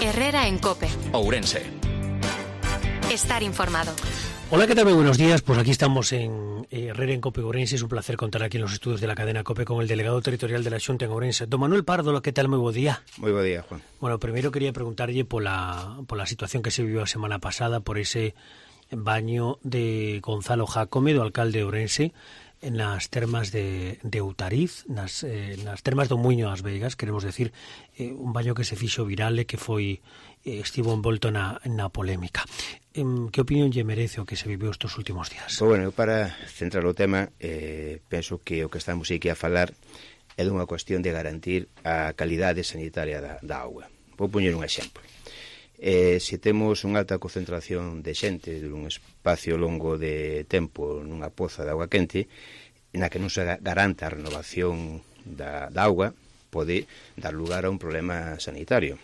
Herrera en COPE. Ourense. Estar informado. Hola, ¿qué tal? Muy buenos días. Pues aquí estamos en Herrera en COPE Ourense. Es un placer contar aquí en los estudios de la cadena COPE con el delegado territorial de la Xunta en Ourense, don Manuel Pardo. ¿Qué tal? Muy buen día. Moi bo día, Juan. Bueno, primero quería preguntarlle pola situación que se viviu a semana pasada por ese baño de Gonzalo Jácome, do alcalde de Ourense, nas termas de Outariz, nas termas do Muiño das Veigas, queremos decir, un baño que se fixo viral e que estivo envolto na polémica. Que opinión lle merece o que se viviu estes últimos días? Pues bueno, para centrar o tema, penso que o que estamos aquí a falar é dunha cuestión de garantir a calidade sanitaria da auga. Vou poñer un exemplo. Se temos unha alta concentración de xente dun espacio longo de tempo nunha poza de auga quente, na que non se garanta a renovación da auga, pode dar lugar a un problema sanitario,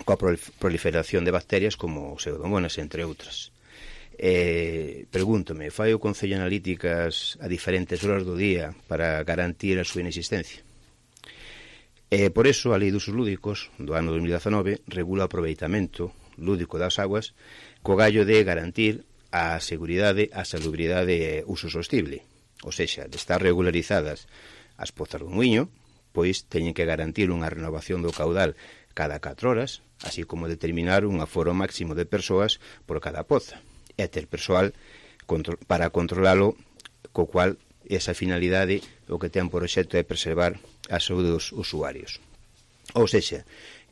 coa proliferación de bacterias como pseudomonas, entre outras. Pregúntome, fai o Concello analíticas a diferentes horas do día para garantir a súa inexistencia? Por eso, a Lei de Usos Lúdicos do ano 2019 regula o aproveitamento lúdico das aguas co gallo de garantir a seguridade, a salubridade e uso sostible. Ou seja, de estar regularizadas as pozas do muiño, pois teñen que garantir unha renovación do caudal cada 4 horas, así como determinar un aforo máximo de persoas por cada poza, e ter persoal para controlalo, co cual esa finalidade o que ten por obxecto é preservar a saúde dos usuarios. Ou seja,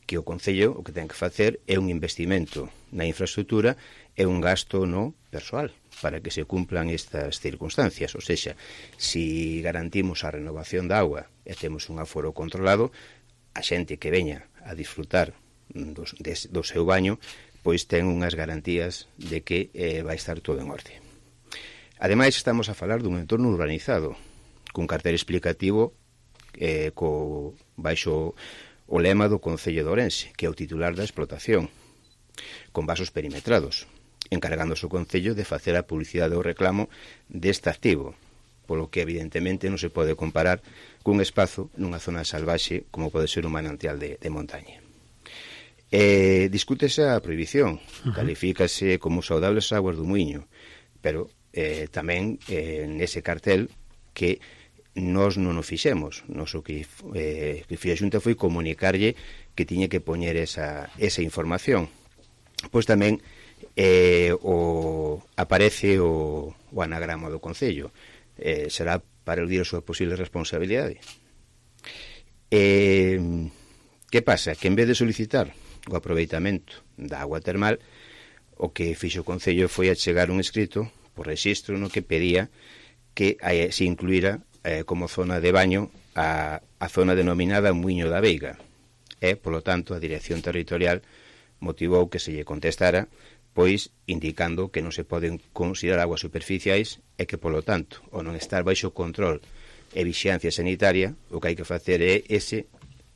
que o Concello o que ten que facer é un investimento na infraestructura e un gasto no persoal para que se cumplan estas circunstancias. Ou seja, si garantimos a renovación da auga e temos un aforo controlado, a xente que veña a disfrutar do seu baño pois ten unhas garantías de que vai estar todo en orde. Ademais, estamos a falar dun entorno urbanizado, cun cartel explicativo baixo o lema do Concello de Ourense, que é o titular da explotación, con vasos perimetrados, encargándose o Concello de facer a publicidade ou reclamo deste activo, polo que evidentemente non se pode comparar cun espazo nunha zona salvaxe como pode ser un manantial de montaña. Discútese a prohibición, califícase como saudables aguas do muiño, pero tamén nese cartel que nós non o fixemos. Nos o que fixo a Xunta foi comunicarlle que tiña que poñer esa información. Pois tamén aparece o anagrama do Concello. Será para eludir a súa posible responsabilidade. Que pasa? Que en vez de solicitar o aproveitamento da agua termal, o que fixo o Concello foi achegar un escrito por rexistro no que pedía que se incluíra como zona de baño a zona denominada Muiño da Veiga. Polo tanto, a Dirección Territorial motivou que se lle contestara, pois indicando que non se poden considerar aguas superficiais e que, polo tanto, ao non estar baixo control e vixiancia sanitaria, o que hai que facer é ese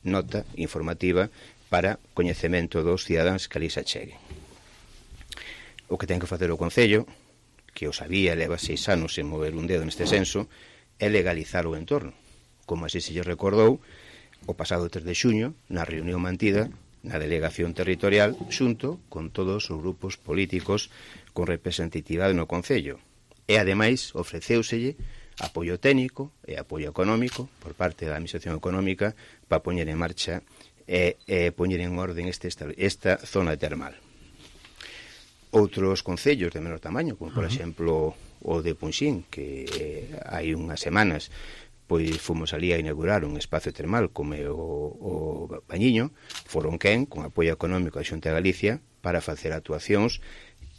nota informativa para coñecemento dos cidadáns que ali se acheguen. O que ten que facer o Concello, que o sabía, leva 6 anos sen mover un dedo neste senso, é legalizar o entorno, como así se lle recordou o pasado 3 de xuño na reunión mantida na Delegación Territorial xunto con todos os grupos políticos con representatividade no Concello. E, ademais, ofreceuselle apoio técnico e apoio económico por parte da Administración Económica para poñer en marcha e poñer en orden esta zona termal. Outros concellos de menor tamaño, como por exemplo o de Punxín, que hai unhas semanas pois fomos ali a inaugurar un espacio termal como o Bañiño, foron quen, con apoio económico da Xunta de Galicia, para facer actuacións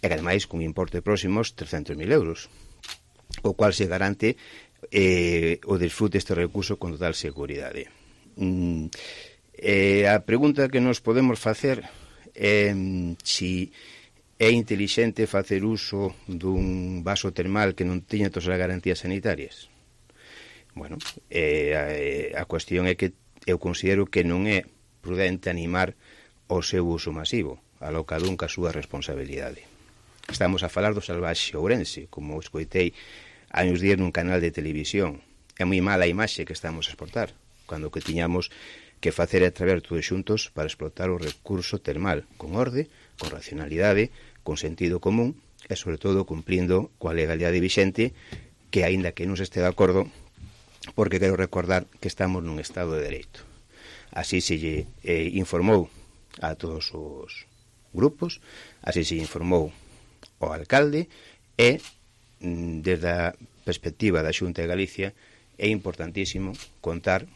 e ademais cun importe próximos 300.000 euros, o cual se garante o disfrute deste recurso con total seguridade. A pregunta que nos podemos facer é se é intelixente facer uso dun vaso termal que non teña todas as garantías sanitarias. Bueno, a cuestión é que eu considero que non é prudente animar o seu uso masivo, alo cada un ca súa responsabilidade. Estamos a falar do salvaxe ourense, como escoitei hai uns días nun canal de televisión. É moi mala a imaxe que estamos a exportar, cando que tiñamos que facer é traballar todos xuntos para explotar o recurso termal con orde, con racionalidade, con sentido común e, sobre todo, cumplindo coa legalidade vixente, que, aínda que non se este de acordo, porque quero recordar que estamos nun Estado de Dereito. Así se lle informou a todos os grupos, así se informou ao alcalde e, desde a perspectiva da Xunta de Galicia, é importantísimo contar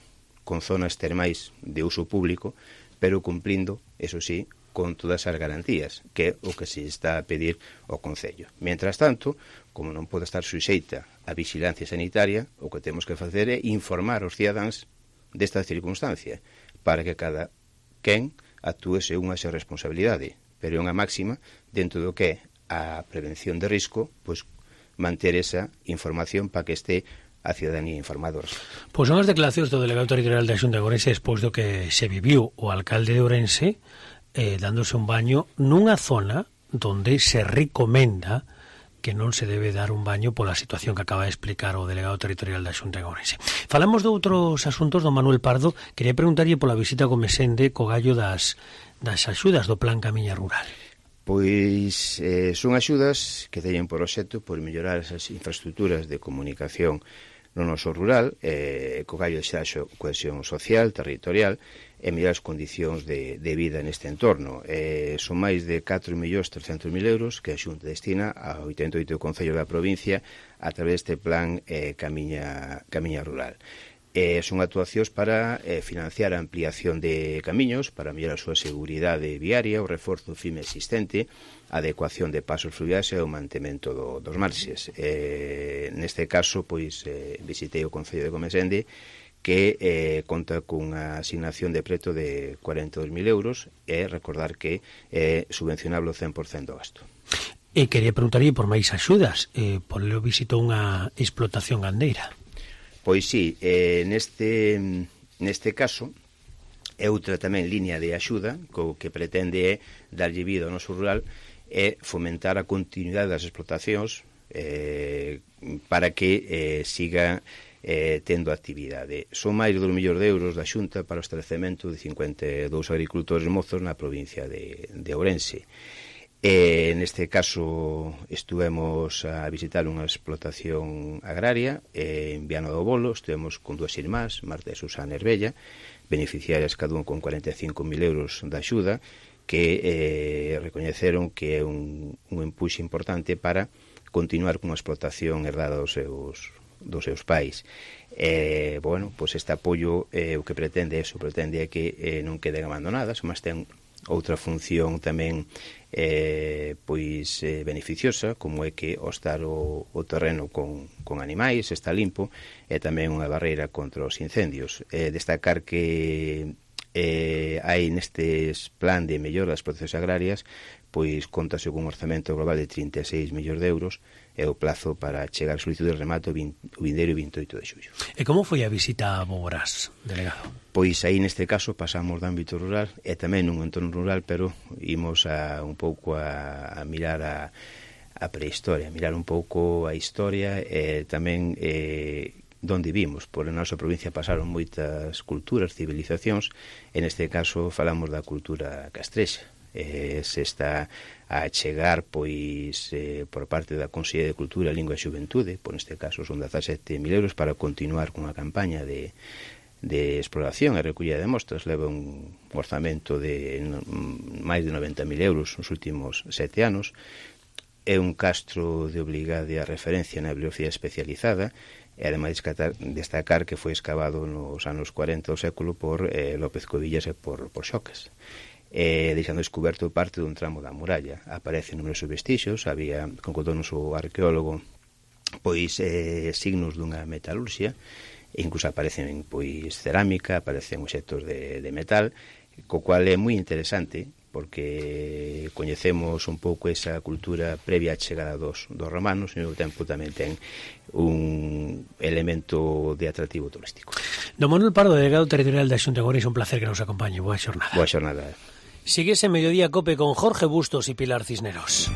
con zonas termais de uso público, pero cumplindo, eso sí, con todas as garantías, que é o que se está a pedir ao Concello. Mientras tanto, como non pode estar suxeita a vigilancia sanitaria, o que temos que facer é informar aos cidadáns desta circunstancia, para que cada quen actúe según a súa responsabilidade, pero é unha máxima dentro do que é a prevención de risco, pois manter esa información para que este a cidadanía informada. Pois son as declaracións do delegado territorial da Xunta de Ourense despois do que se viviu o alcalde de Ourense dándose un baño nunha zona donde se recomenda que non se debe dar un baño pola situación que acaba de explicar o delegado territorial da Xunta de Ourense. Falamos de outros asuntos, don Manuel Pardo. Quería preguntarlle pola visita co Mesende co gallo das axudas do Plan Camiña Rural. Pois son axudas que teñen por obxecto por mellorar esas infraestructuras de comunicación no noso rural, co gallo de xeraxo cohesión social, territorial, e mellorar as condicións de vida neste entorno. Son máis de 4.300.000 euros que a Xunta destina a 88 concellos da provincia a través deste plan Camiña Rural. Son actuacións para financiar a ampliación de camiños, para mellorar a súa seguridade viaria, o reforzo firme existente, a adecuación de pasos fluviais e o mantemento dos marxes. Neste caso, pois, visitei o Concello de Comesende, que conta cunha asignación de preto de 42.000 euros e recordar que é subvencionable o 100% do gasto. E quería preguntarlle por máis axudas, por lo visitou unha explotación gandeira. Pois sí, neste caso é outra tamén liña de axuda co que pretende é darlle vida ao noso rural e fomentar a continuidade das explotacións para que siga tendo actividade. Son máis de 2 millóns de euros da Xunta para o establecemento de 52 agricultores mozos na provincia de Ourense. Neste caso estuvemos a visitar unha explotación agraria en Viana do Bolo, estuvemos con dúas irmás, Marta e Susana Herbella, beneficiarias cada un con 45.000 euros da axuda, que recoñeceron que é un empuxe importante para continuar con a explotación herdada dos seus pais. Bueno, pois este apoio o que pretende é que non queden abandonadas, mas ten outra función tamén beneficiosa, como é que ao estar o terreno con animais está limpo, e tamén unha barreira contra os incendios. Destacar que hai nestes plan de mellora das explotacións agrarias, pois contase con un orzamento global de 36 millóns de euros e o plazo para chegar a solicitud de remato o vindeiro 28 de xullo. E como foi a visita a Boborás, delegado? Pois aí neste caso pasamos do ámbito rural e tamén nun entorno rural, pero imos un pouco a mirar a prehistoria, mirar un pouco a historia e tamén donde vimos. Por a nosa provincia pasaron moitas culturas, civilizacións, e neste caso falamos da cultura castrexa. Se está a chegar pois por parte da Consellería de Cultura, Lingua e Xuventude, por neste caso son 17.000 euros para continuar cunha campaña de exploración e recollida de mostras. Leva un orzamento de máis de 90.000 euros nos últimos 7 anos. É un castro de obligada referencia na bibliografía especializada e ademais destacar que foi excavado nos anos 40 do século por López Covillas e por Xocas, deixando descoberto parte dun tramo da muralla. Aparecen numerosos vestixios, había, contou o noso arqueólogo, pois signos dunha metalurxia, e incluso aparecen pois cerámica, aparecen obxectos de metal, co cual é moi interesante, porque coñecemos un pouco esa cultura previa á chegada dos romanos, e ao mesmo tempo tamén ten un elemento de atractivo turístico. Don Manuel Pardo, delegado territorial da Xunta de Ourense, un placer que nos acompañe. Boa xornada. Boa xornada. Sigues en Mediodía Cope con Jorge Bustos y Pilar Cisneros.